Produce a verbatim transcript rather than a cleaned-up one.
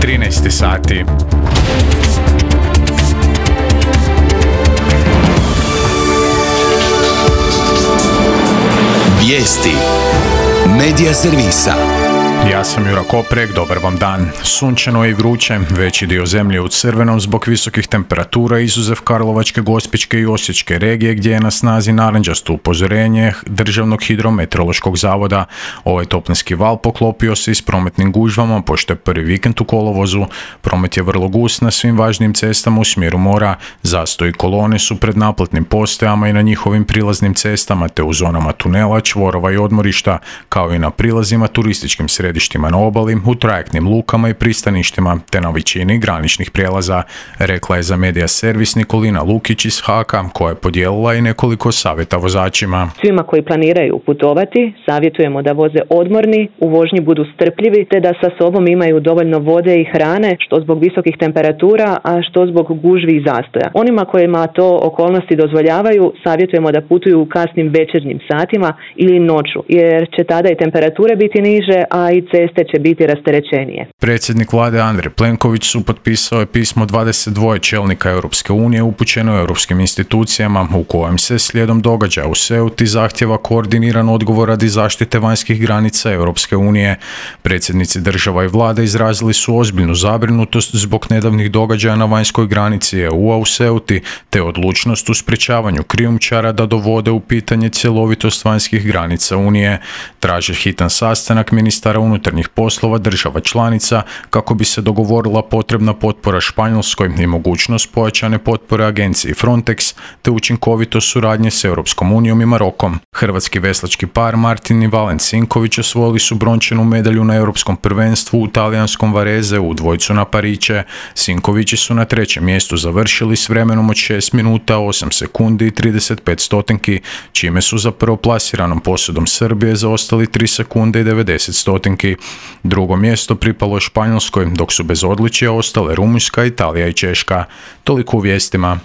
trinaest sati. Vijesti Medija servisa. Ja sam Jura Koprek, dobar vam dan. Sunčano je i vruće, veći dio zemlje u crvenom zbog visokih temperatura, izuzev Karlovačke, Gospićke i Osječke regije gdje je na snazi narančasto upozorenje Državnog hidrometeorološkog zavoda. Ovaj toplinski val poklopio se i s prometnim gužvama, pošto je prvi vikend u kolovozu. Promet je vrlo gust na svim važnim cestama u smjeru mora. Zastoj i kolone su pred naplatnim postajama i na njihovim prilaznim cestama, te u zonama tunela, čvorova i odmorišta, kao i na prilazima turističkim središtima na obali, u trajektnim lukama i pristaništima, te na većini graničnih prijelaza, rekla je za Medija servis Nikolina Lukić iz Haka, koja je podijelila i nekoliko savjeta vozačima. Svima koji planiraju putovati, savjetujemo da voze odmorni, u vožnji budu strpljivi, te da sa sobom imaju dovoljno vode i hrane, što zbog visokih temperatura, a što zbog gužvi i zastoja. Onima kojima to okolnosti dozvoljavaju, savjetujemo da putuju u kasnim večernjim satima ili noću, jer će tada i temperature biti niže, a i ceste će biti rasterećenije. Predsjednik vlade Andrej Plenković su potpisao je pismo dvadeset dva čelnika Europske unije upućeno europskim institucijama, u kojem se slijedom događaja u Ceuti zahtjeva koordiniran odgovor radi zaštite vanjskih granica Europske unije. Predsjednici država i vlade izrazili su ozbiljnu zabrinutost zbog nedavnih događaja na vanjskoj granici E U-a u Ceuti, te odlučnost u sprječavanju krijumčara da dovode u pitanje cjelovitost vanjskih granica Unije. Traže hitan sastanak ministara unutarnjih poslova država članica kako bi se dogovorila potrebna potpora Španjolskoj i mogućnost pojačane potpore agenciji Frontex, te učinkovito suradnje s Europskom unijom i Marokom. Hrvatski veslački par Martin i Valen Sinković osvojili su brončanu medalju na europskom prvenstvu u talijanskom Varese u dvojcu na pariće. Sinkovići su na trećem mjestu završili s vremenom od šest minuta, osam sekundi i trideset pet stotinki, čime su za prvoplasiranom posudom Srbije zaostali tri sekunde i devedeset stotinki. Drugo mjesto pripalo je Španjolskoj, dok su bez odličja ostale Rumunjska, Italija i Češka. Toliko u vijestima.